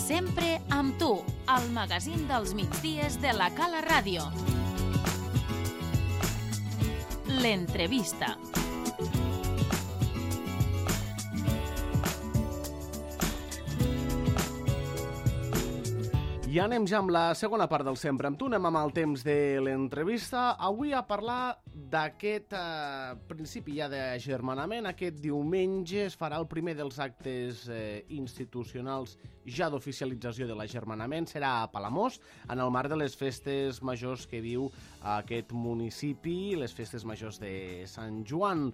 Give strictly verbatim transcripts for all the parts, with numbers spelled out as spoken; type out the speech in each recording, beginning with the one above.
Sempre amb tu, el magazín dels migdies de la Cala Ràdio. L'entrevista. I anem ja amb la segona part del Sempre amb tu, anem amb el temps de l'entrevista. Avui a parlar d'aquest eh, principi ja d'agermanament. Aquest diumenge es farà el primer dels actes eh, institucionals ja d'oficialització de l'agermanament. Serà a Palamós, en el marc de les festes majors que viu aquest municipi, les festes majors de Sant Joan.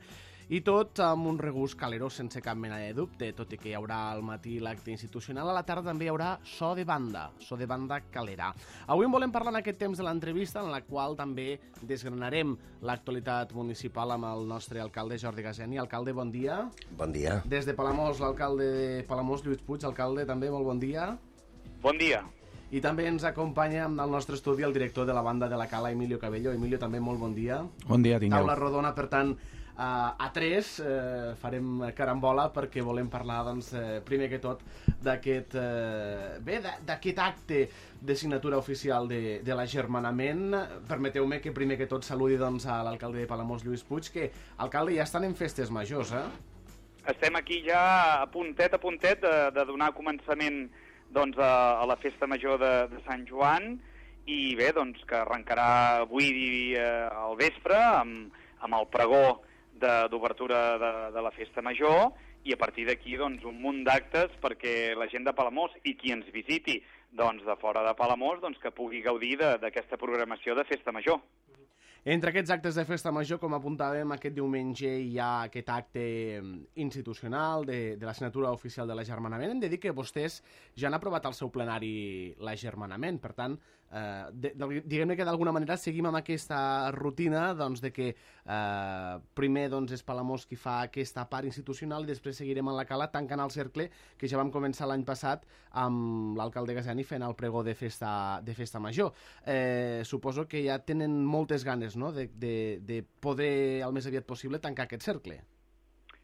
I tot amb un regust calerós sense cap mena de dubte, tot i que hi haurà al matí l'acte institucional, a la tarda també hi haurà so de banda, so de banda calerà. Avui en volem parlar en aquest temps de l'entrevista, en la qual també desgranarem l'actualitat municipal amb el nostre alcalde Jordi Gaseni. Alcalde, bon dia. Bon dia. Des de Palamós, l'alcalde de Palamós, Lluís Puig, alcalde, també molt bon dia. Bon dia. I també ens acompanya en el nostre estudi el director de la banda de la Cala, Emilio Cabello. Emilio, també molt bon dia. Bon dia, tingueu. Taula rodona, per tant, Uh, a tres uh, farem carambola perquè volem parlar, doncs, uh, primer que tot d'aquest uh, bé, d'aquest acte de signatura oficial de, de l'agermanament. Permeteu-me que primer que tot saludi, doncs, a l'alcalde de Palamós, Lluís Puig, que, alcalde, ja estan en festes majors, eh? Estem aquí ja a puntet a puntet de, de donar començament, doncs, a, a la festa major de, de Sant Joan, i bé, doncs, que arrencarà avui eh, al vespre amb, amb el pregó d'obertura de, de, de la festa major, i a partir d'aquí, doncs, un munt d'actes perquè la gent de Palamós i qui ens visiti, doncs, de fora de Palamós, doncs, que pugui gaudir d'aquesta programació de festa major. Entre aquests actes de festa major, com apuntàvem, aquest diumenge hi ha aquest acte institucional de, de la signatura oficial de l'agermanament. Hem de dir que vostès ja han aprovat al seu plenari l'agermanament, per tant, eh, de, de, diguem-ne que d'alguna manera seguim amb aquesta rutina, doncs, de que eh, primer, doncs, és Palamós qui fa aquesta part institucional i després seguirem en la Cala tancant el cercle que ja vam començar l'any passat amb l'alcalde Gaseni fent el pregó de festa, de festa major. Eh, suposo que ja tenen moltes ganes, no?, de, de, de poder, al més aviat possible, tancar aquest cercle.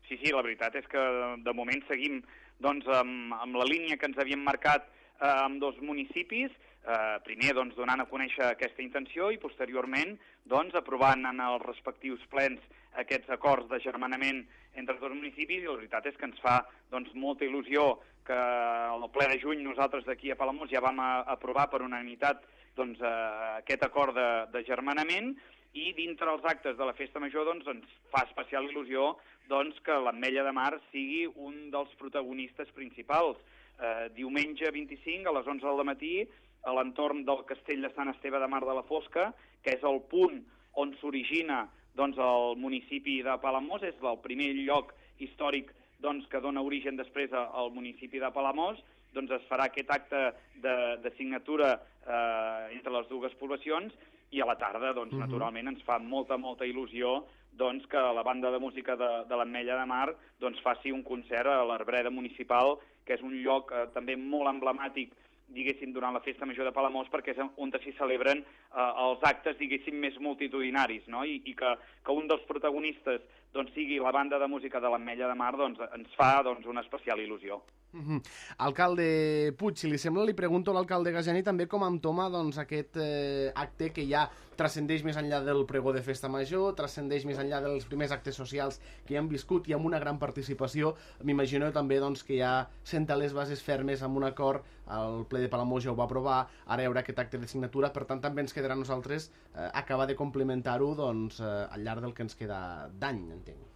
Sí, sí, la veritat és que de moment seguim, doncs, amb, amb la línia que ens havíem marcat eh, amb dos municipis, eh, primer, doncs, donant a conèixer aquesta intenció i posteriorment, doncs, aprovant en els respectius plens aquests acords d'agermanament entre els dos municipis, i la veritat és que ens fa, doncs, molta il·lusió que al ple de juny nosaltres d'aquí a Palamós ja vam a, aprovar per unanimitat, doncs, eh, aquest acord d'agermanament, i dintre els actes de la festa major, doncs, ens fa especial il·lusió, doncs, que l'Ametlla de Mar sigui un dels protagonistes principals. Eh, diumenge vint-i-cinc a les onze del matí, a l'entorn del castell de Sant Esteve de Mar de la Fosca, que és el punt on s'origina, doncs, el municipi de Palamós, és el primer lloc històric, doncs, que dona origen després al municipi de Palamós, doncs es farà aquest acte de, de signatura eh, entre les dues poblacions, i a la tarda, doncs, uh-huh. naturalment, ens fa molta, molta il·lusió, doncs, que la banda de música de, de l'Ametlla de Mar, doncs, faci un concert a l'Arbreda Municipal, que és un lloc eh, també molt emblemàtic, diguéssim, durant la festa major de Palamós, perquè és on s'hi celebren eh, els actes, diguéssim, més multitudinaris, no? I, i que, que un dels protagonistes, doncs, sigui la banda de música de l'Ametlla de Mar, doncs, ens fa, doncs, una especial il·lusió. Uh-huh. Alcalde Puig, si li sembla, li pregunto a l'alcalde Gaseni també com entoma, doncs, aquest eh, acte que ja transcendeix més enllà del pregó de festa major, transcendeix més enllà dels primers actes socials que ja han viscut i amb una gran participació. M'imagino també, doncs, que ja senta les bases fermes amb un acord, el ple de Palamós ja ho va aprovar, ara hi haurà aquest acte de signatura, per tant també ens quedarà a nosaltres eh, acabar de complementar-ho, doncs, eh, al llarg del que ens queda d'any, entenc.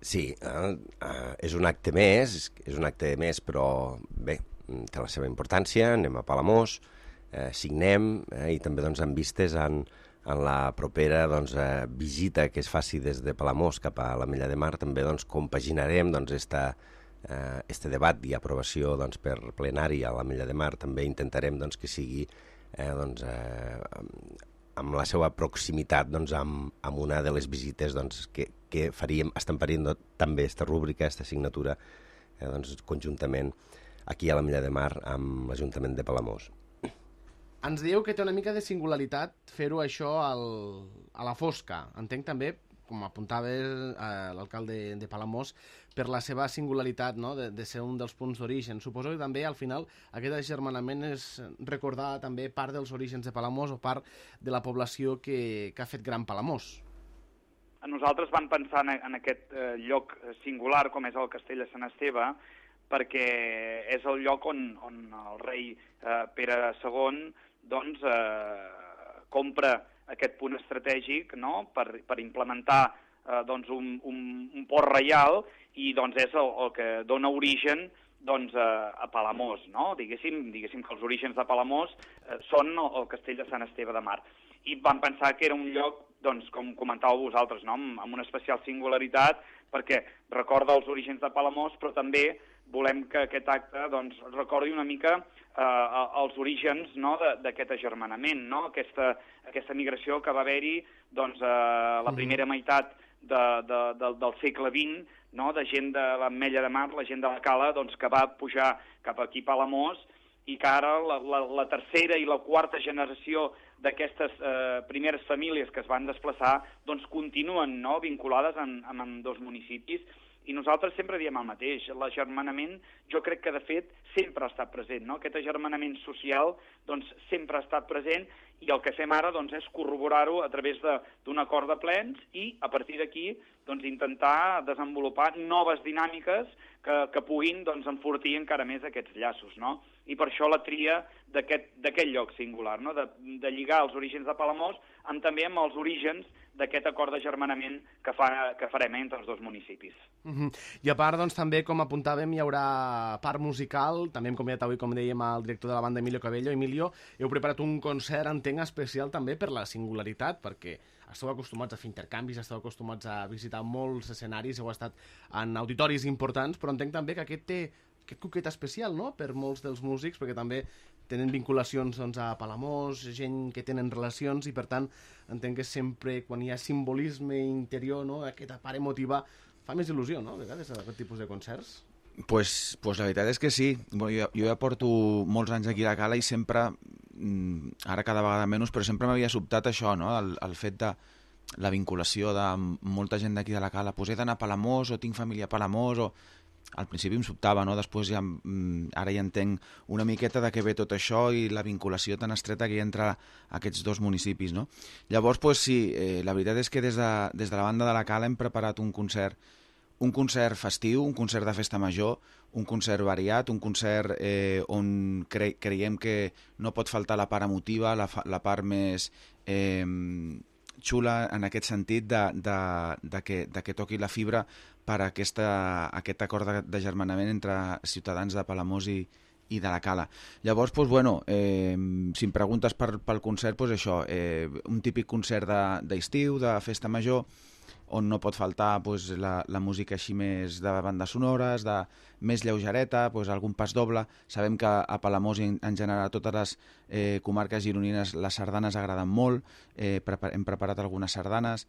Sí, eh, eh, és un acte més, és un acte més, però bé, té la seva importància, anem a Palamós, eh, signem, eh, i també, doncs, amb vistes en, en la propera, doncs, eh, visita que es faci des de Palamós cap a l'Ametlla de Mar, també, doncs, compaginarem, doncs, esta, eh, este debat i aprovació, doncs, per plenari a l'Ametlla de Mar, també intentarem, doncs, que sigui, eh, doncs, eh, amb la seva proximitat, doncs, amb, amb una de les visites, doncs, que, que faríem, estem parint també aquesta rúbrica, aquesta signatura, eh, doncs, conjuntament aquí a l'Ametlla de Mar amb l'Ajuntament de Palamós. Ens dieu que té una mica de singularitat fer-ho això al, a la fosca. Entenc també com apuntava eh, l'alcalde de Palamós, per la seva singularitat, no? de, de ser un dels punts d'origen. Suposo que també, al final, aquest agermanament és recordar també part dels orígens de Palamós o part de la població que, que ha fet gran Palamós. Nosaltres vam pensar en, en aquest eh, lloc singular, com és el Castell de Sant Esteve, perquè és el lloc on, on el rei eh, Pere segon doncs, eh, compra aquest punt estratègic, no? per, per implementar eh, doncs un, un, un port reial, i doncs és el, el que dona origen doncs, a, a Palamós, no? Diguéssim, diguéssim que els orígens de Palamós eh, són el, el Castell de Sant Esteve de Mar. I vam pensar que era un lloc, doncs, com comentàveu vosaltres, no? amb, amb una especial singularitat, perquè recorda els orígens de Palamós, però també volem que aquest acte doncs, recordi una mica eh, els orígens, no? d'aquest agermanament, no? aquesta, aquesta migració que va haver-hi doncs, a la primera meitat de, de, de, del segle vint, no? de gent de l'Ametlla de Mar, la gent de la Cala, doncs, que va pujar cap aquí a Palamós, i que ara la, la, la tercera i la quarta generació d'aquestes eh, primeres famílies que es van desplaçar doncs continuen, no? vinculades en, en, en dos municipis. I nosaltres sempre diem el mateix, l'agermanament jo crec que de fet sempre ha estat present, no? Aquest agermanament social doncs sempre ha estat present, i el que fem ara doncs, és corroborar-ho a través d'un acord de plens i a partir d'aquí doncs, intentar desenvolupar noves dinàmiques que, que puguin doncs, enfortir encara més aquests llaços, no? I per això la tria d'aquest lloc singular, no? de, de lligar els orígens de Palamós amb, també amb els orígens d'aquest acord d'agermanament que, fa, que farem entre els dos municipis. Uh-huh. I a part, doncs, també, com apuntàvem, hi haurà part musical, també hem convidat avui, com dèiem, al director de la banda, Emilio Cabello. Emilio, heu preparat un concert, entenc, especial també per la singularitat, perquè esteu acostumats a fer intercanvis, esteu acostumats a visitar molts escenaris, heu estat en auditoris importants, però entenc també que aquest té aquest coquet especial, no?, per molts dels músics, perquè també tenen vinculacions doncs, a Palamós, gent que tenen relacions, i per tant entenc que sempre quan hi ha simbolisme interior, no?, aquesta part emotiva, fa més il·lusió, no?, a vegades, aquest tipus de concerts. Pues, pues la veritat és que sí. Bueno, jo, jo ja porto molts anys aquí a la Cala i sempre, ara cada vegada menys, però sempre m'havia sobtat això, no?, el, el fet de la vinculació de molta gent d'aquí de la Cala. Pues he d'anar a Palamós, o tinc família a Palamós, o... Al principi em sobtava, no? Després ja, ara ja entenc una miqueta de què ve tot això i la vinculació tan estreta que hi ha entre aquests dos municipis, no? Llavors, pues, sí, eh, la veritat és que des de, des de la banda de la Cala hem preparat un concert, un concert festiu, un concert de festa major, un concert variat, un concert eh, on cre creiem que no pot faltar la part emotiva, la, la part més eh, xula en aquest sentit de, de, de, que, de que toqui la fibra per a aquesta, aquest acord d'agermanament entre ciutadans de Palamós i, i de la Cala. Llavors, doncs, bueno, eh, si em preguntes per, pel concert, doncs això, eh, un típic concert d'estiu, de, de festa major, on no pot faltar doncs, la, la música així més de bandes sonores, de més lleugereta, doncs, algun pas doble. Sabem que a Palamós i en, en general a totes les eh, comarques gironines les sardanes agraden molt, eh, prepar hem preparat algunes sardanes.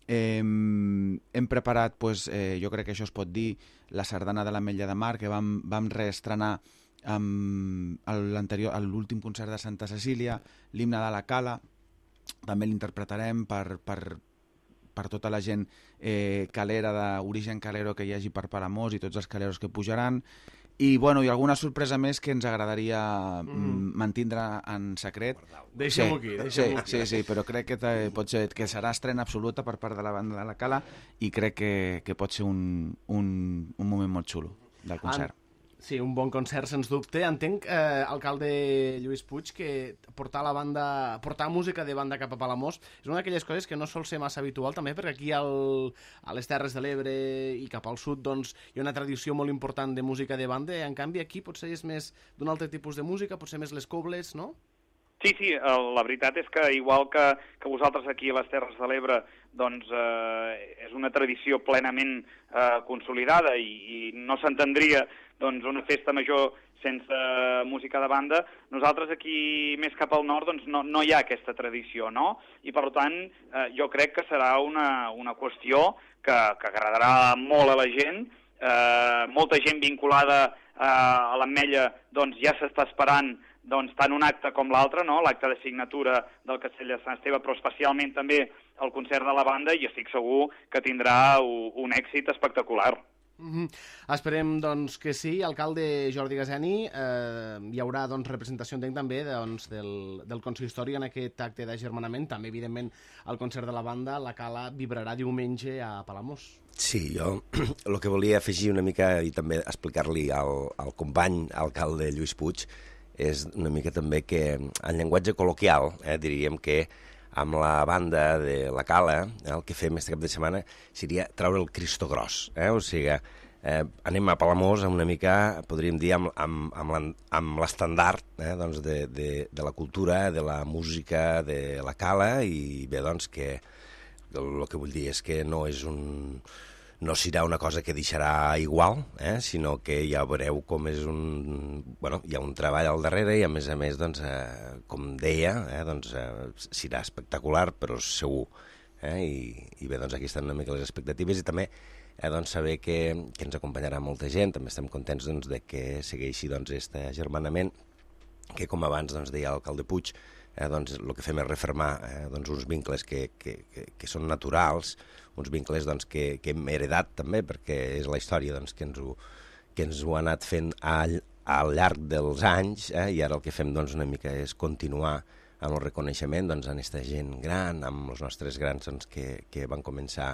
Eh, hem preparat, pues, eh, jo crec que això es pot dir, la sardana de l'Ametlla de Mar, que vam, vam reestrenar amb l'últim concert de Santa Cecília, l'himne de la Cala, també l'interpretarem per, per, per tota la gent eh, calera, d'origen calero que hi hagi per Palamós i tots els caleros que pujaran. I, bueno, i alguna sorpresa més que ens agradaria mm. mantindre en secret. Deixem-ho aquí, deixem-ho aquí. Sí, sí, però crec que pot ser que serà estrena absoluta per part de la banda de la Cala i crec que, que pot ser un, un, un moment molt xulo del concert. En... Sí, un bon concert, sens dubte. Entenc, eh, alcalde Lluís Puig, que portar la banda, portar música de banda cap a Palamós és una d'aquelles coses que no sol ser massa habitual, també perquè aquí al, a les Terres de l'Ebre i cap al sud doncs, hi ha una tradició molt important de música de banda, i en canvi aquí potser és més d'un altre tipus de música, potser més les cobles, no? Sí, sí, la veritat és que igual que, que vosaltres aquí a les Terres de l'Ebre doncs eh, és una tradició plenament eh, consolidada i, i no s'entendria doncs, una festa major sense música de banda. Nosaltres aquí més cap al nord doncs, no, no hi ha aquesta tradició, no? I per tant eh, jo crec que serà una, una qüestió que, que agradarà molt a la gent. Eh, molta gent vinculada eh, a l'Ametlla doncs, ja s'està esperant doncs, tant un acte com l'altre, no? L'acte de signatura del Castell de Sant Esteve, però especialment també el concert de la banda i estic segur que tindrà un, un èxit espectacular. Mm-hmm. Esperem doncs, que sí. Alcalde Jordi Gaseni, eh, hi haurà doncs, representació, entenc, també doncs, del, del consistori en aquest acte d'agermanament. També, evidentment, el concert de la banda, la Cala, vibrarà diumenge a Palamós. Sí, jo el que volia afegir una mica i també explicar-li al, al company alcalde Lluís Puig és una mica també que, en llenguatge col·loquial, eh, diríem que amb la banda de la Cala, eh, el que fem aquest cap de setmana seria treure el Cristo gros. Eh? O sigui, eh, anem a Palamós una mica, podríem dir, amb, amb, amb, amb l'estandard eh, doncs de, de, de la cultura, de la música de la Cala, i bé, doncs, que el que vull dir és que no és un... no serà una cosa que deixarà igual, eh? Sinó que ja veureu com és un... Bueno, hi ha un treball al darrere i, a més a més, doncs, eh, com deia, eh, doncs, eh, serà espectacular, però segur. Eh? I, I bé, doncs, aquí estan una mica les expectatives i també eh, doncs, saber que, que ens acompanyarà molta gent. També estem contents doncs, de que segueixi doncs, este agermanament, que, com abans doncs, deia l'alcalde Puig, eh, doncs, el que fem és refermar eh, doncs, uns vincles que, que, que, que són naturals, uns vincles doncs, que, que hem heredat també, perquè és la història doncs, que, ens ho, que ens ho ha anat fent al, al llarg dels anys, eh, i ara el que fem doncs, una mica és continuar amb el reconeixement doncs, a aquesta gent gran, amb els nostres grans doncs, que, que van començar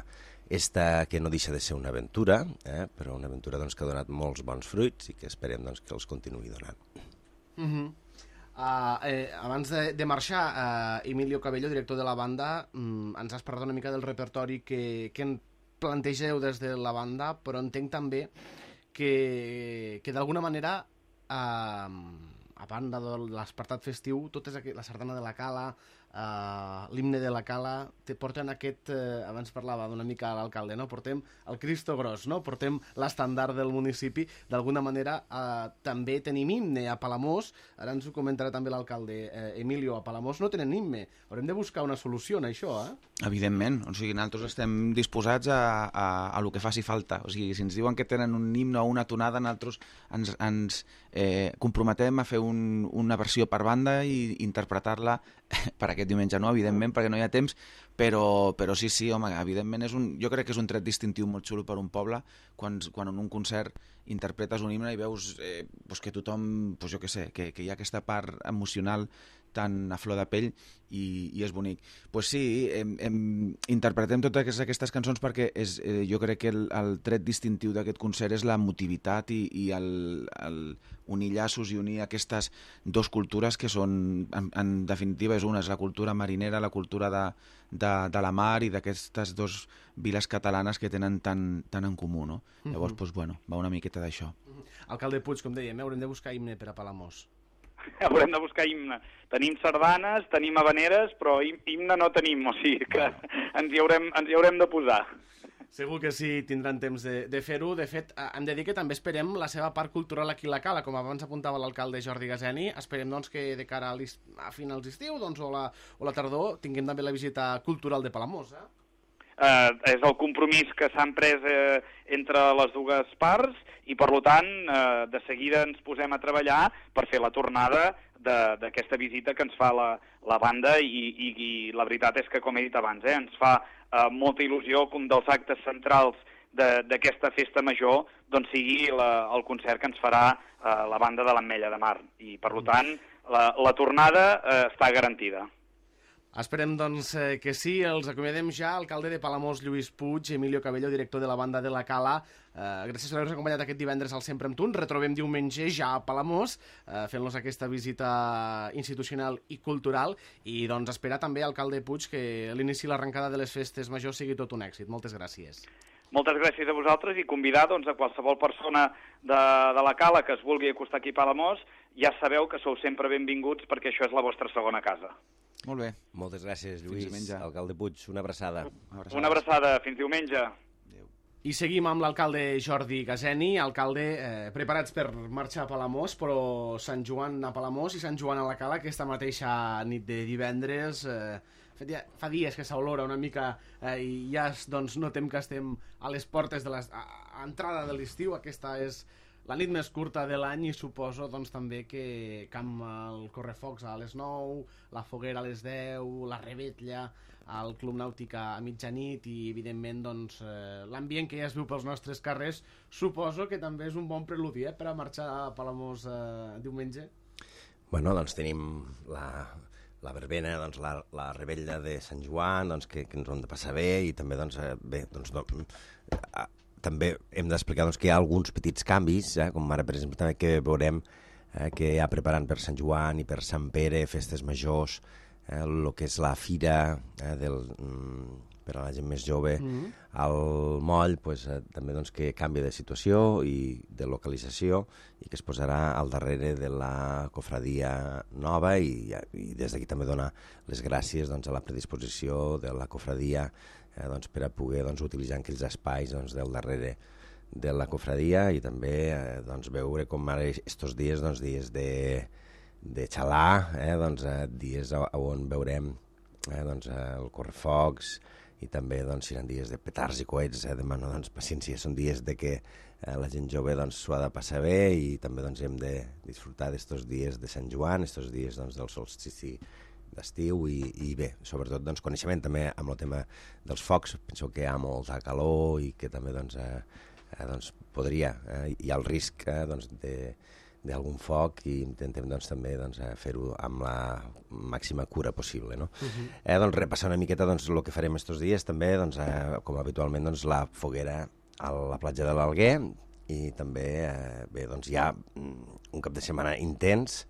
esta, que no deixa de ser una aventura, eh, però una aventura doncs, que ha donat molts bons fruits i que esperem doncs, que els continuï donant. Mm-hmm. Uh, eh, abans de, de marxar, uh, Emilio Cabello, director de la banda, um, ens has parlat una mica del repertori que, que en plantegeu des de la banda, però entenc també que, que d'alguna manera, uh, a banda de l'espartat festiu, tot és aquí, la sardana de la Cala, uh, l'himne de la Cala, te porten aquest, uh, abans parlava d'una mica a l'alcalde, no? Portem el Cristo gros, no? Portem l'estandard del municipi, d'alguna manera uh, també tenim himne a Palamós, ara ens ho comentarà també l'alcalde eh, Emilio, a Palamós no tenen himne, haurem de buscar una solució en això, eh? Evidentment, o sigui, nosaltres estem disposats a, a, a lo que faci falta, o sigui, si ens diuen que tenen un himne o una tonada, nosaltres ens, ens eh, comprometem a fer un, una versió per banda i interpretar-la per aquest diumenge, no, evidentment, perquè no hi ha temps, però, però sí, sí, home, evidentment és un, jo crec que és un tret distintiu molt xulo per un poble quan, quan en un concert interpretes un himne i veus eh, pues que tothom, pues jo què sé, que, que hi ha aquesta part emocional tan a flor de pell i, i és bonic. Pues sí, hem, hem, interpretem totes aquestes cançons perquè és, eh, jo crec que el, el tret distintiu d'aquest concert és l'emotivitat i, i el, el unir llaços i unir aquestes dos cultures que són, en, en definitiva, és una, és la cultura marinera, la cultura de, de, de la mar i d'aquestes dos viles catalanes que tenen tan, tan en comú, no? Uh-huh. Llavors, pues, bueno, va una miqueta d'això. Uh-huh. Alcalde Puig, com dèiem, haurem de buscar himne per a Palamós. Haurem de buscar himne. Tenim sardanes, tenim habaneres, però himne no tenim, o sigui que ens hi haurem, ens hi haurem de posar. Segur que sí, tindran temps de, de fer-ho. De fet, hem de dir que també esperem la seva part cultural aquí a la Cala, com abans apuntava l'alcalde Jordi Gaseni. Esperem doncs, que de cara a, a finals d'estiu doncs, o, la, o la tardor tinguem també la visita cultural de Palamós. Eh? Eh, és el compromís que s'han pres eh, entre les dues parts i, per tant, eh, de seguida ens posem a treballar per fer la tornada d'aquesta visita que ens fa la, la banda i, i, i la veritat és que, com he dit abans, eh, ens fa eh, molta il·lusió que un dels actes centrals d'aquesta festa major doncs, sigui la, el concert que ens farà eh, la banda de l'Ametlla de Mar i, per tant, la, la tornada eh, està garantida. Esperem, doncs, eh, que sí. Els acomiadem ja. Alcalde de Palamós, Lluís Puig, Emilio Cabello, director de la banda de la Cala. Eh, gràcies per haver-nos acompanyat aquest divendres al Sempre amb Tu. Ens retrobem diumenge ja a Palamós, eh, fent-nos aquesta visita institucional i cultural. I, doncs, esperar també, alcalde Puig, que l'inici i l'arrencada de les festes majors sigui tot un èxit. Moltes gràcies. Moltes gràcies a vosaltres i convidar doncs, a qualsevol persona de, de la Cala que es vulgui acostar aquí a Palamós. Ja sabeu que sou sempre benvinguts perquè això és la vostra segona casa. Molt bé. Moltes gràcies, Lluís. Alcalde Puig, una abraçada. Una abraçada. Una abraçada. Fins diumenge. Adéu. I seguim amb l'alcalde Jordi Gaseni. Alcalde, eh, preparats per marxar a Palamós, però Sant Joan a Palamós i Sant Joan a la Cala aquesta mateixa nit de divendres. Eh, fa dies que s'olora una mica eh, i ja doncs, notem que estem a les portes de l'entrada de l'estiu. Aquesta és la nit més curta de l'any i suposo doncs, també que amb el correfocs a les nou, la foguera a les deu, la revetlla, al Club Nàutic a mitjanit i, evidentment, doncs, eh, l'ambient que ja es viu pels nostres carrers, suposo que també és un bon preludi, eh, per a marxar a Palamós eh, diumenge. Bueno, doncs tenim la, la verbena, doncs, la, la rebella de Sant Joan, doncs, que, que ens ho hem de passar bé, i també, doncs, eh, bé, doncs, no, eh, també hem d'explicar doncs, que hi ha alguns petits canvis, eh, com ara, per exemple, també que veurem eh, que hi ha preparant per Sant Joan i per Sant Pere, festes majors, el eh, que és la fira eh, del, mm, per a la gent més jove, mm-hmm. al moll, pues, eh, també doncs, que canvia de situació i de localització i que es posarà al darrere de la cofradia nova i, i des d'aquí també donar les gràcies doncs, a la predisposició de la cofradia eh, doncs, per a poder doncs, utilitzar aquells espais doncs, del darrere de la cofradia i també eh, doncs, veure com ara estos dies, doncs, dies de, de xalar, eh, doncs, eh, dies on veurem eh, doncs, eh, el correfocs i també doncs, seran dies de petards i coets, eh, demano doncs, paciència, són dies de que eh, la gent jove doncs, s'ho ha de passar bé i també doncs, hem de disfrutar d'estos dies de Sant Joan, estos dies doncs, del solstici d'estiu i, i bé, sobretot doncs, coneixement també amb el tema dels focs, penso que hi ha molta calor i que també doncs, eh, eh, doncs, podria, eh, hi ha el risc eh, doncs, de d'algun foc i intentem doncs, també doncs, fer-ho amb la màxima cura possible. No? Uh-huh. eh, doncs, repassar una miqueta doncs, el que farem estos dies també, doncs, eh, com habitualment, doncs, la foguera a la platja de l'Alguer i també eh, bé, doncs, hi ha un cap de setmana intens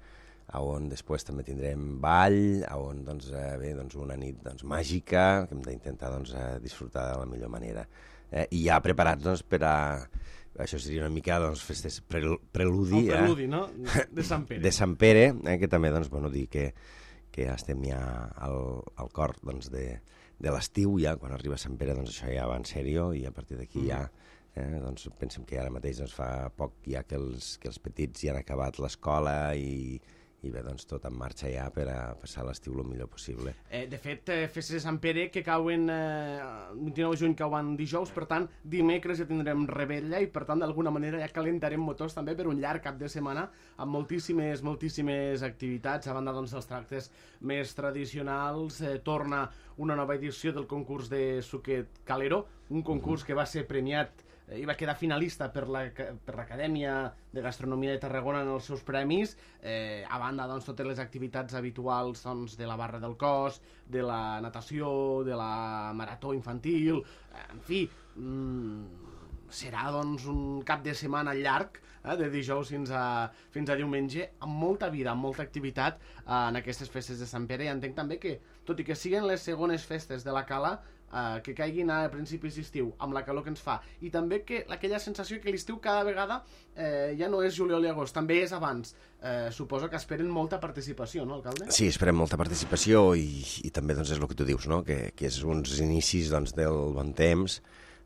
on després també tindrem ball, on doncs, eh, bé, doncs, una nit doncs, màgica que hem d'intentar doncs, disfrutar de la millor manera. Eh, I ja preparats doncs, per a això seria una mica doncs, festes prel preludi, el preludi, eh? no? De Sant Pere. De Sant Pere, eh? Que també doncs, bueno, dir que, que ja estem ja al, al cor doncs, de, de l'estiu, ja quan arriba Sant Pere doncs, això ja va en sèrio i a partir d'aquí mm. ja eh, doncs, pensem que ara mateix doncs, fa poc ja que els, que els petits ja han acabat l'escola i i bé, doncs tot en marxa ja per a passar l'estiu el millor possible. Eh, de fet, eh, festes de Sant Pere que cauen eh, vint-i-nou de juny cauen dijous, per tant, dimecres ja tindrem rebella i per tant, d'alguna manera ja calentarem motors també per un llarg cap de setmana amb moltíssimes, moltíssimes activitats. A banda doncs, dels tractes més tradicionals, eh, torna una nova edició del concurs de Suquet Calero, un concurs que va ser premiat i va quedar finalista per l'Acadèmia de Gastronomia de Tarragona en els seus premis, eh, a banda doncs, totes les activitats habituals doncs, de la barra del cos, de la natació, de la marató infantil, eh, en fi, mmm, serà doncs, un cap de setmana llarg, eh, de dijous fins a, fins a diumenge, amb molta vida, amb molta activitat eh, en aquestes festes de Sant Pere. I entenc també que, tot i que siguin les segones festes de la Cala, Uh, que caiguin a principis d'estiu amb la calor que ens fa i també que aquella sensació que l'estiu cada vegada eh, ja no és juliol i agost, també és abans. Eh, suposo que esperen molta participació, no, alcalde? Sí, esperem molta participació i, i també doncs, és el que tu dius, no? que, que és uns inicis doncs, del bon temps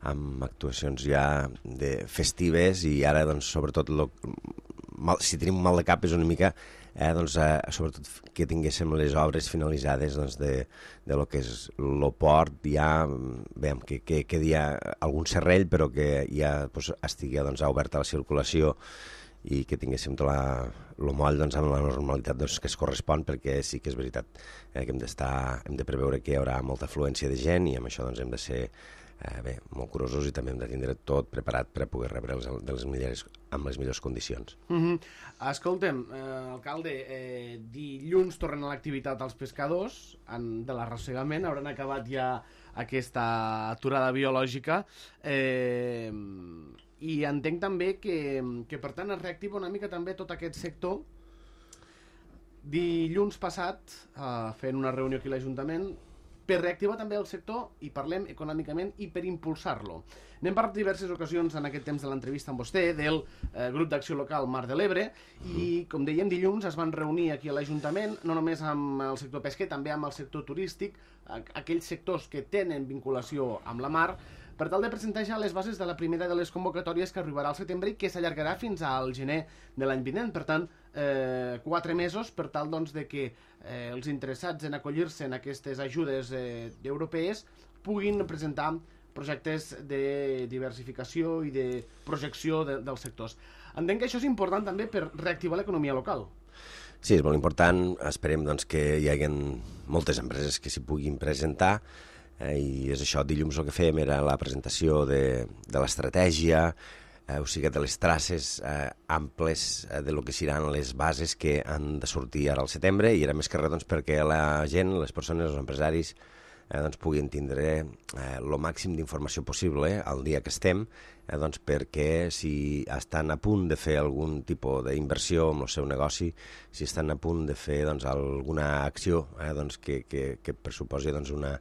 amb actuacions ja de festives i ara doncs, sobretot lo, mal, si tenim mal de cap és una mica Eh, doncs, eh, sobretot que tinguéssim les obres finalitzades doncs, de, de lo que és el port, ja, veiem que, que quedi algun serrell, però que ja doncs, estigui doncs, oberta la circulació i que tinguéssim tot la, el moll doncs, amb la normalitat doncs, que es correspon, perquè sí que és veritat eh, que hem d'estar, hem de preveure que hi haurà molta afluència de gent i amb això doncs, hem de ser eh, bé, molt curosos i també hem de tindre tot preparat per a poder rebre els, de les millors, amb les millors condicions. Mm-hmm. Escolta'm, eh, alcalde, eh, dilluns tornen a l'activitat als pescadors en, de l'arrossegament, hauran acabat ja aquesta aturada biològica eh, i entenc també que, que per tant es reactiva una mica també tot aquest sector. Dilluns passat, eh, fent una reunió aquí a l'Ajuntament, per reactivar també el sector i parlem econòmicament i per impulsar-lo. N'hem parlat diverses ocasions en aquest temps de l'entrevista amb vostè del eh, grup d'acció local Mar de l'Ebre i, com dèiem, dilluns es van reunir aquí a l'Ajuntament, no només amb el sector pesquer, també amb el sector turístic, aquells sectors que tenen vinculació amb la mar, per tal de presentar ja les bases de la primera de les convocatòries que arribarà al setembre i que s'allargarà fins al gener de l'any vinent. Per tant, eh, quatre mesos per tal doncs, de que eh, els interessats en acollir-se en aquestes ajudes eh, europees puguin presentar projectes de diversificació i de projecció de, dels sectors. Entenc que això és important també per reactivar l'economia local. Sí, és molt important. Esperem doncs, que hi hagi moltes empreses que s'hi puguin presentar eh, i és això. Dilluns el que fèiem era la presentació de, de l'estratègia, eh, o sigui, de les traces eh, amples eh, de lo que seran les bases que han de sortir ara al setembre, i era més que res doncs, perquè la gent, les persones, els empresaris, eh, doncs, puguin tindre el eh, màxim d'informació possible eh, el dia que estem, eh, doncs, perquè si estan a punt de fer algun tipus d'inversió en el seu negoci, si estan a punt de fer doncs, alguna acció eh, doncs, que, que, que pressuposi doncs, una,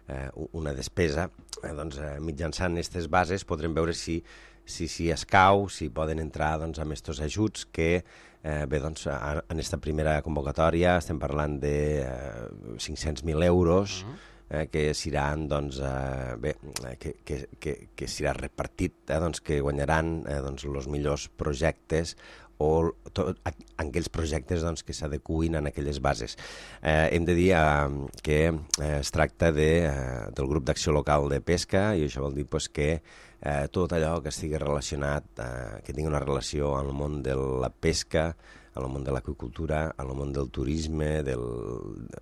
eh, una despesa, eh, doncs, eh, mitjançant aquestes bases podrem veure si si, si escau, si poden entrar doncs, amb aquests ajuts que eh, bé, doncs, en aquesta primera convocatòria estem parlant de eh, cinc-cents mil euros, uh -huh. Eh, que seran doncs, eh, bé, que, que, que, que serà repartit, eh, doncs, que guanyaran eh, doncs, els millors projectes o tot, aquells projectes doncs, que s'adecuïn en aquelles bases. Eh, hem de dir eh, que eh, es tracta de, eh, del grup d'acció local de pesca, i això vol dir pues, que eh, tot allò que estigui relacionat, eh, que tingui una relació amb el món de la pesca, en el món de l'aqüicultura, en el món del turisme, del...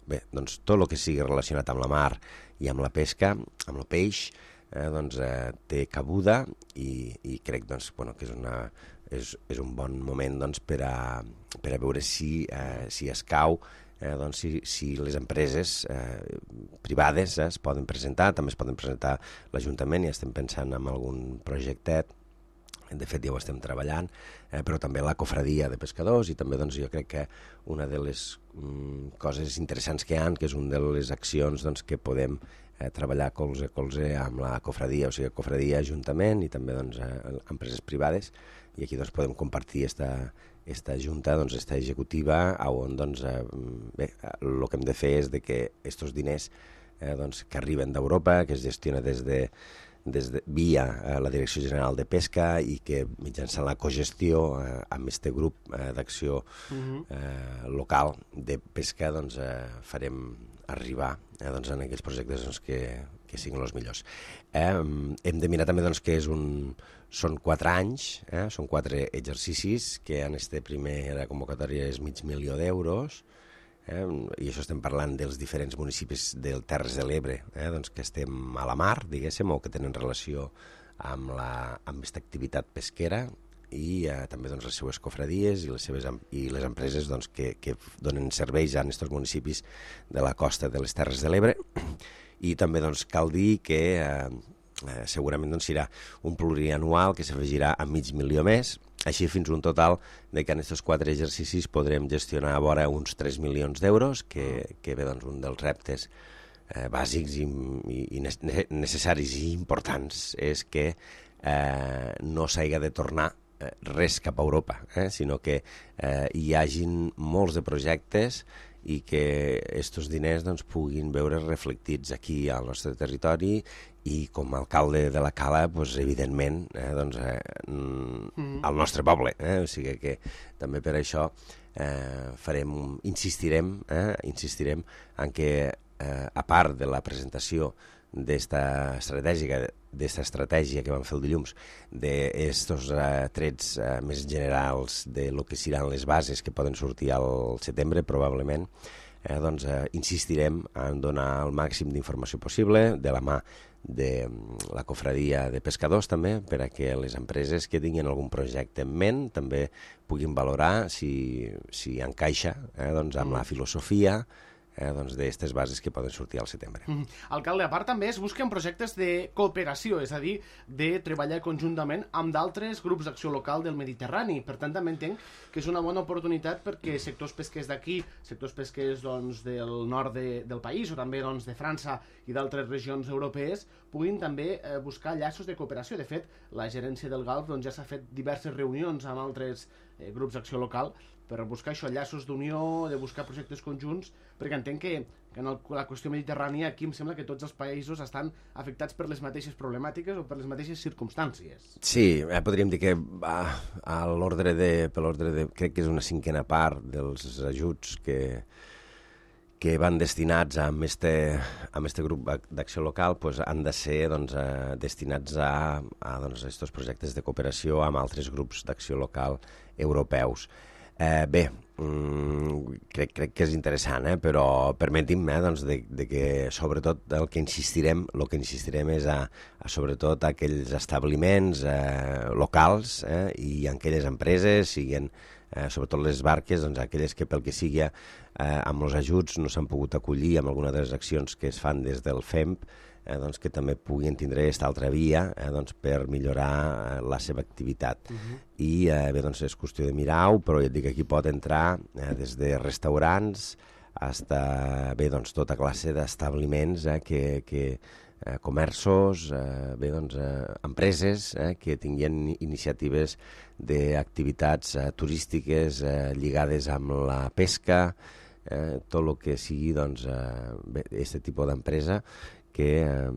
bé, doncs tot el que sigui relacionat amb la mar i amb la pesca, amb el peix, eh, doncs eh, té cabuda i, i crec doncs, bueno, que és, una, és, és un bon moment doncs, per, a, per a veure si, eh, si escau, eh, doncs, si, si les empreses eh, privades eh, es poden presentar, també es poden presentar l'Ajuntament, i estem pensant en algun projectet. De fet, ja ho estem treballant, eh, però també la cofradia de pescadors, i també doncs, jo crec que una de les mm, coses interessants que hi ha, que és una de les accions doncs, que podem eh, treballar colze a colze amb la cofradia, o sigui, cofradia, ajuntament i també doncs, eh, empreses privades, i aquí doncs, podem compartir esta, esta junta, doncs, esta executiva, on doncs, eh, bé, el que hem de fer és de que aquests diners eh, doncs, que arriben d'Europa, que es gestiona des de des de, via eh, la Direcció General de Pesca, i que mitjançant la cogestió eh, amb aquest grup eh, d'acció uh-huh. eh, local de pesca doncs, eh, farem arribar eh, doncs, en aquells projectes doncs, que, que siguin els millors. Eh, hem de mirar també doncs, que és un, són quatre anys, eh, són quatre exercicis, que en aquesta primera convocatòria és mig milió d'euros, Eh, i això estem parlant dels diferents municipis del Terres de l'Ebre, eh, doncs que estem a la mar, diguéssim, o que tenen relació amb, la, amb aquesta activitat pesquera, i eh, també doncs, les seues cofradies i les, seves, i les empreses doncs, que, que donen serveis a aquests municipis de la costa de les Terres de l'Ebre. I també doncs, cal dir que eh, eh, segurament doncs, serà un plurianual que s'afegirà a mig milió més, així fins un total de que en aquests quatre exercicis podrem gestionar a vora uns tres milions d'euros, que, que ve doncs, un dels reptes eh, bàsics i, i, i necessaris i importants és que eh, no s'hagi de tornar eh, res cap a Europa, eh, sinó que eh, hi hagin molts de projectes i que aquests diners doncs, puguin veure reflectits aquí al nostre territori, i com a alcalde de la Cala, doncs, evidentment, eh, doncs, eh, mm. al nostre poble. Eh? O sigui que també per això eh, farem, insistirem, eh, insistirem en que, eh, a part de la presentació d'esta estratègia, d'esta estratègia que vam fer el dilluns, d'estos eh, trets eh, més generals de lo que seran les bases que poden sortir al setembre, probablement, eh, doncs, eh, insistirem en donar el màxim d'informació possible, de la mà de la cofradia de pescadors també, per a que les empreses que tinguin algun projecte en ment també puguin valorar si, si encaixa eh, doncs, amb mm. la filosofia eh, doncs, d'aquestes bases que poden sortir al setembre. Mm. Alcalde, a part també es busquen projectes de cooperació, és a dir, de treballar conjuntament amb d'altres grups d'acció local del Mediterrani. Per tant, també entenc que és una bona oportunitat perquè sectors pesquers d'aquí, sectors pesquers doncs, del nord de, del país o també doncs, de França i d'altres regions europees puguin també eh, buscar llaços de cooperació. De fet, la gerència del Golf doncs, ja s'ha fet diverses reunions amb altres eh, grups d'acció local per buscar això, llaços d'unió, de buscar projectes conjunts, perquè entenc que, que en el, la qüestió mediterrània aquí em sembla que tots els països estan afectats per les mateixes problemàtiques o per les mateixes circumstàncies. Sí, eh, podríem dir que a, a l'ordre de, per l'ordre de, crec que és una cinquena part dels ajuts que, que van destinats a este, a este grup d'acció local pues, han de ser doncs, eh, destinats a, a doncs, estos projectes de cooperació amb altres grups d'acció local europeus. Eh, bé, mm, crec, crec que és interessant, eh? Però permeti'm eh, doncs de, de que sobretot el que insistirem, el que insistirem és a, a sobretot a aquells establiments eh, locals eh, i aquelles empreses, siguin eh, sobretot les barques, doncs aquelles que pel que sigui eh, amb els ajuts no s'han pogut acollir amb alguna de les accions que es fan des del F E M P, eh, doncs que també puguin tindre aquesta altra via eh, doncs per millorar eh, la seva activitat. Uh-huh. I eh, bé, doncs és qüestió de mirar-ho, però ja et dic, aquí pot entrar eh, des de restaurants fins a bé, doncs, tota classe d'establiments eh, que, que eh, comerços, eh, bé, doncs, eh, empreses eh, que tinguin iniciatives d'activitats eh, turístiques eh, lligades amb la pesca, eh, tot el que sigui doncs, eh, bé, aquest tipus d'empresa que, eh,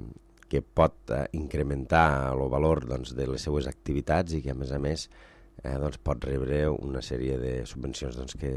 que pot eh, incrementar el valor doncs, de les seues activitats i que, a més a més, eh, doncs, pot rebre una sèrie de subvencions doncs, que,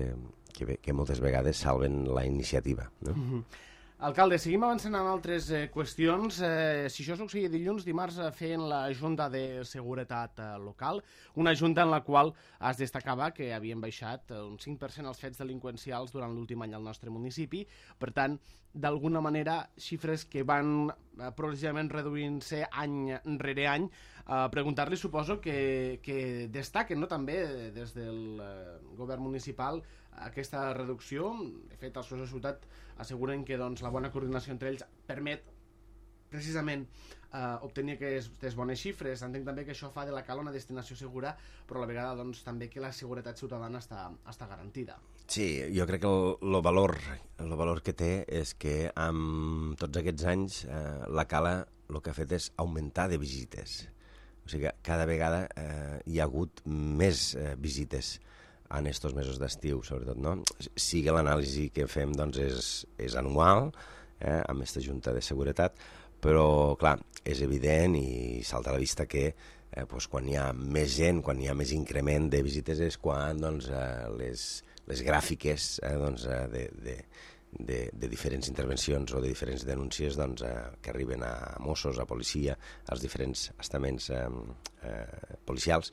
que, que moltes vegades salven la iniciativa. No? Mm-hmm. Alcalde, seguim avançant en altres eh, qüestions. Eh, si això succeïa dilluns, dimarts eh, feien la Junta de Seguretat eh, Local, una junta en la qual es destacava que havien baixat eh, un cinc per cent els fets delinqüencials durant l'últim any al nostre municipi. Per tant, d'alguna manera, xifres que van eh, progressivament reduint-se any rere any. Eh, Preguntar-li, suposo, que, que destaquen no, també des del eh, govern municipal aquesta reducció. De fet, els seus de ciutat asseguren que doncs, la bona coordinació entre ells permet precisament eh, obtenir aquestes bones xifres. Entenc també que això fa de la Cala una destinació segura, però a la vegada doncs, també que la seguretat ciutadana està, està garantida. Sí, jo crec que el, el, valor, el valor que té és que amb tots aquests anys eh, la Cala el que ha fet és augmentar de visites. O sigui que cada vegada eh, hi ha hagut més eh, visites en estos mesos d'estiu, sobretot, no? Sí que l'anàlisi que fem, doncs, és, és anual, eh, amb aquesta Junta de Seguretat, però, clar, és evident i salta a la vista que eh, doncs, quan hi ha més gent, quan hi ha més increment de visites, és quan doncs, eh, les, les gràfiques eh, doncs, eh, de, de, de, de diferents intervencions o de diferents denúncies doncs, eh, que arriben a Mossos, a policia, als diferents estaments eh, eh, policials,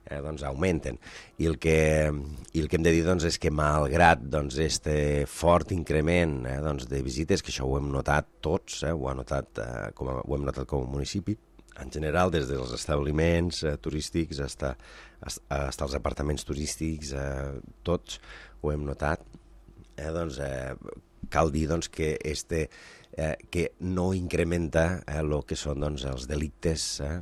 Eh, doncs augmenten. I el que, i el que hem de dir doncs, és que malgrat doncs, este fort increment eh, doncs, de visites, que això ho hem notat tots, eh, ho, ha notat, eh, com a, ho hem notat com a municipi, en general, des dels establiments eh, turístics fins als apartaments turístics, eh, tots ho hem notat, eh, doncs, eh, cal dir doncs, que este Eh, que no incrementa el eh, que són doncs, els delictes, eh,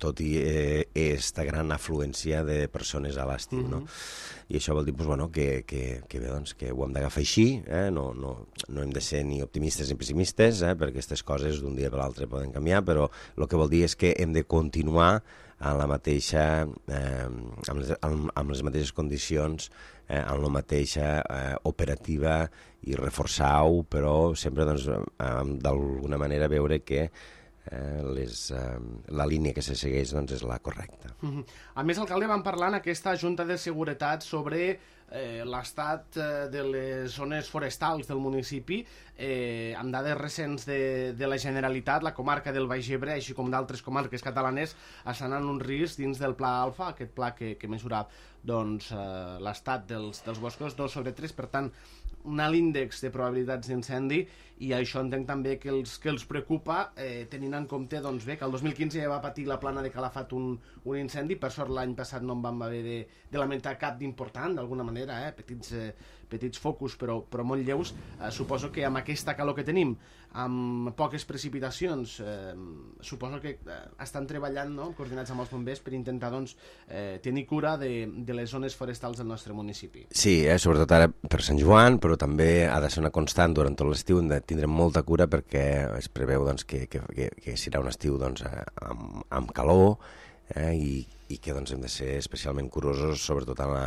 tot i aquesta eh, gran afluència de persones a l'estiu. Mm-hmm. No? I això vol dir pues, bueno, que, que, que, bé, doncs, que ho hem d'agafar així, eh? no, no, no hem de ser ni optimistes ni pessimistes, eh? perquè aquestes coses d'un dia per l'altre poden canviar, però el que vol dir és que hem de continuar en la mateixa, eh, amb, les, amb, amb les mateixes condicions, eh, en la mateixa eh, operativa i reforçar-ho, però sempre doncs, eh, d'alguna manera veure que eh, les, eh, la línia que se segueix doncs, és la correcta. Mm-hmm. A més, alcalde, vam parlar en aquesta Junta de Seguretat sobre eh, l'estat eh, de les zones forestals del municipi. Eh, amb dades recents de, de la Generalitat, la comarca del Baix Ebre, així com d'altres comarques catalanes, estan en un risc dins del Pla Alfa, aquest pla que, que mesura doncs, eh, l'estat dels, dels boscos, dos sobre tres, per tant, un alt índex de probabilitats d'incendi, i això entenc també que els, que els preocupa, eh, tenint en compte doncs, bé, que el dos mil quinze ja va patir la Plana de Calafat un, un incendi. Per sort l'any passat no en vam haver de, de lamentar cap d'important, d'alguna manera, eh, petits, eh, petits focus, però, però molt lleus. Eh, suposo que amb aquesta calor que tenim, amb poques precipitacions, eh, suposo que eh, estan treballant, no?, coordinats amb els bombers per intentar doncs, eh, tenir cura de, de les zones forestals del nostre municipi. Sí, eh, sobretot ara per Sant Joan, però també ha de ser una constant durant tot l'estiu, hem de tindre molta cura perquè es preveu doncs, que, que, que, que serà un estiu doncs, amb, amb calor, eh, i, i que doncs, hem de ser especialment curosos sobretot en, la,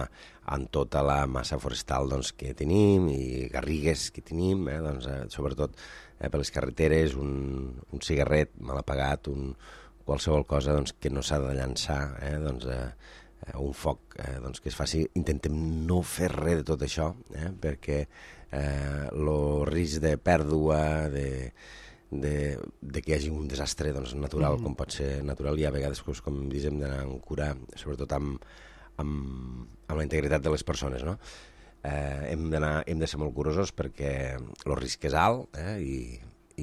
en tota la massa forestal doncs, que tenim i garrigues que tenim, eh, doncs, eh, sobretot eh, per les carreteres, un, un cigarret mal apagat, un, qualsevol cosa doncs, que no s'ha de llançar, eh, doncs, eh, un foc eh, doncs, que es faci. Intentem no fer res de tot això, eh, perquè el eh, risc de pèrdua, de, de, de que hi hagi un desastre doncs, natural, mm. com pot ser natural, i a vegades, com diem, d'anar amb cura, sobretot amb, amb, amb la integritat de les persones, no? eh, hem d'anar, hem de ser molt curosos perquè el risc és alt eh, i,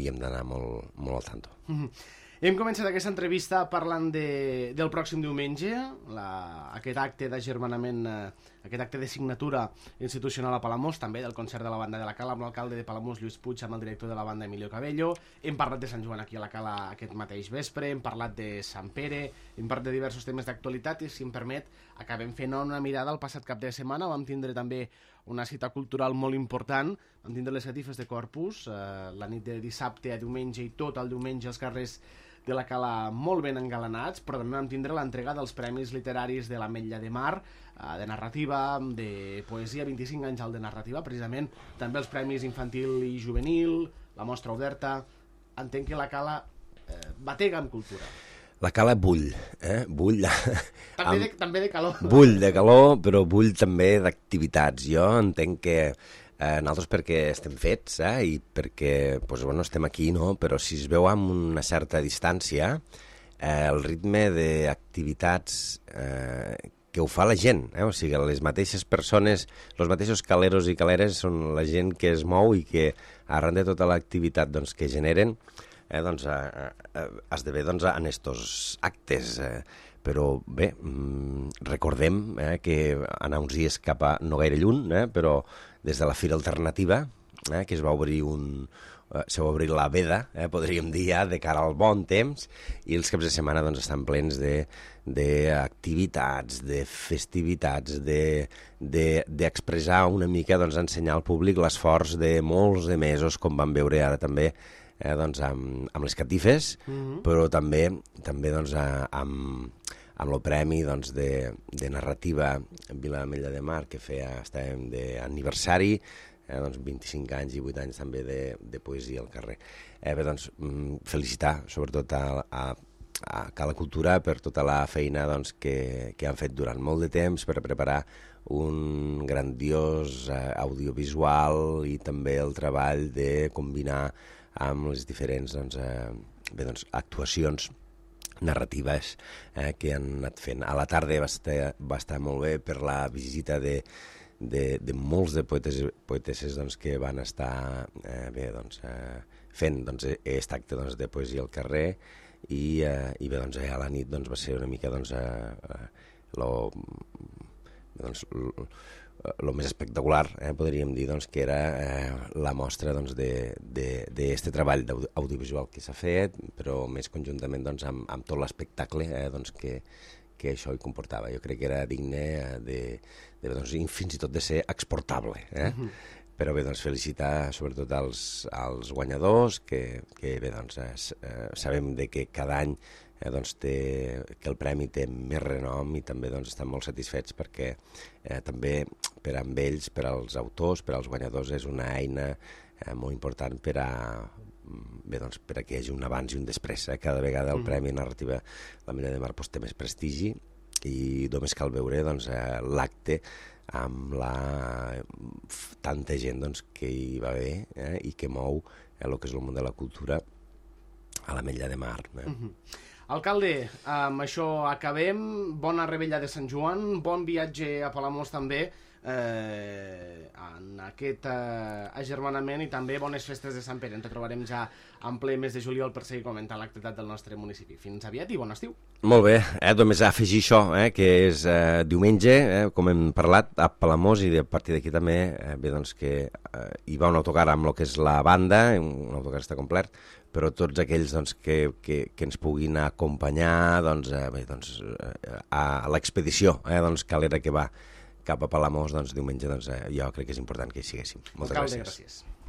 i hem d'anar molt, molt al tanto. Mm-hmm. Hem començat aquesta entrevista parlant de, del pròxim diumenge, la, aquest acte d'agermanament, eh, aquest acte de signatura institucional a Palamós, també del concert de la banda de la Cala amb l'alcalde de Palamós, Lluís Puig, amb el director de la banda, Emilio Cabello. Hem parlat de Sant Joan aquí a la Cala aquest mateix vespre, hem parlat de Sant Pere, hem parlat de diversos temes d'actualitat i, si em permet, acabem fent una mirada al passat cap de setmana. Vam tindre també una cita cultural molt important, vam tindre les catifes de Corpus, eh, la nit de dissabte a diumenge i tot el diumenge als carrers de la Cala molt ben engalanats, però també vam tindre l'entrega dels Premis Literaris de l'Ametlla de Mar, eh, de narrativa, de poesia, vint-i-cinc anys al de narrativa, precisament, també els Premis Infantil i Juvenil, la Mostra Oberta. Entenc que la Cala eh, batega en cultura. La Cala bull, eh? Bull. També, de, també de calor. Bull de calor, però bull també d'activitats. Jo entenc que Eh, nosaltres perquè estem fets eh, i perquè pues, bueno, estem aquí, no? Però si es veu amb una certa distància, eh, el ritme d'activitats eh, que ho fa la gent, eh? O sigui, les mateixes persones, els mateixos caleros i caleres són la gent que es mou i que arran de tota l'activitat doncs, que generen eh, doncs, eh, eh, esdevé doncs, en estos actes. Eh, però bé, mm, recordem eh, que anar uns dies cap a no gaire lluny, eh, però des de la Fira Alternativa, eh, que es va obrir un... Eh, se va obrir la veda, eh, podríem dir ja, de cara al bon temps, i els caps de setmana doncs, estan plens d'activitats, de, de festivitats, d'expressar de, de una mica, doncs, ensenyar al públic l'esforç de molts de mesos, com vam veure ara també, eh, doncs, amb, amb les catifes, mm-hmm. però també, també doncs, amb... amb el premi doncs, de, de narrativa Vila Ametlla de Mar, que feia, estàvem d'aniversari, eh, doncs vint-i-cinc anys i vuit anys també de, de poesia al carrer. Eh, bé, doncs, felicitar sobretot a, a, a Cala Cultura per tota la feina doncs, que, que han fet durant molt de temps per preparar un grandiós eh, audiovisual i també el treball de combinar amb les diferents doncs, eh, bé, doncs, actuacions narratives eh, que han anat fent. A la tarda va estar, va estar molt bé per la visita de, de, de molts de poetes i poetesses doncs, que van estar eh, bé, doncs, eh, fent doncs, aquest acte doncs, de poesia al carrer i, eh, i bé, doncs, a la nit doncs, va ser una mica doncs, eh, lo, doncs, lo, el més espectacular, eh, podríem dir doncs, que era eh, la mostra doncs, d'aquest treball audiovisual que s'ha fet, però més conjuntament doncs, amb, amb tot l'espectacle eh, doncs, que, que això hi comportava. Jo crec que era digne de, de, doncs, fins i tot de ser exportable. Eh? Mm-hmm. Però bé, doncs, felicitar sobretot als, als guanyadors, que, que bé, doncs, eh, sabem de que cada any Eh, doncs té, que el premi té més renom i també doncs, estan molt satisfets perquè eh, també per a ells, per als autors, per als guanyadors, és una eina eh, molt important per a, bé, doncs, per a que hi hagi un abans i un després. Eh? Cada vegada el mm. Premi Narrativa l'Ametlla de Mar doncs, té més prestigi i només cal veure doncs, eh, l'acte amb la tanta gent doncs, que hi va haver eh, i que mou eh, el que és el món de la cultura a l'Ametlla de Mar. Eh? Mm-hmm. Alcalde, amb això acabem. Bona revetlla de Sant Joan, bon viatge a Palamós també, eh, en aquest eh, agermanament, i també bones festes de Sant Pere. Ens trobarem ja en ple mes de juliol per seguir comentant l'activitat del nostre municipi. Fins aviat i bon estiu. Molt bé, eh, només afegir això, eh, que és eh, diumenge, eh, com hem parlat, a Palamós, i a partir d'aquí també, eh, bé, doncs que eh, hi va un autocar amb el que és la banda, un autocar està complet, però tots aquells doncs, que, que, que ens puguin acompanyar doncs, eh, bé, doncs, eh, a l'expedició eh, doncs, calera que va cap a Palamós, doncs, diumenge, doncs, eh, jo crec que és important que hi siguéssim. Moltes Alcalde, gràcies. gràcies.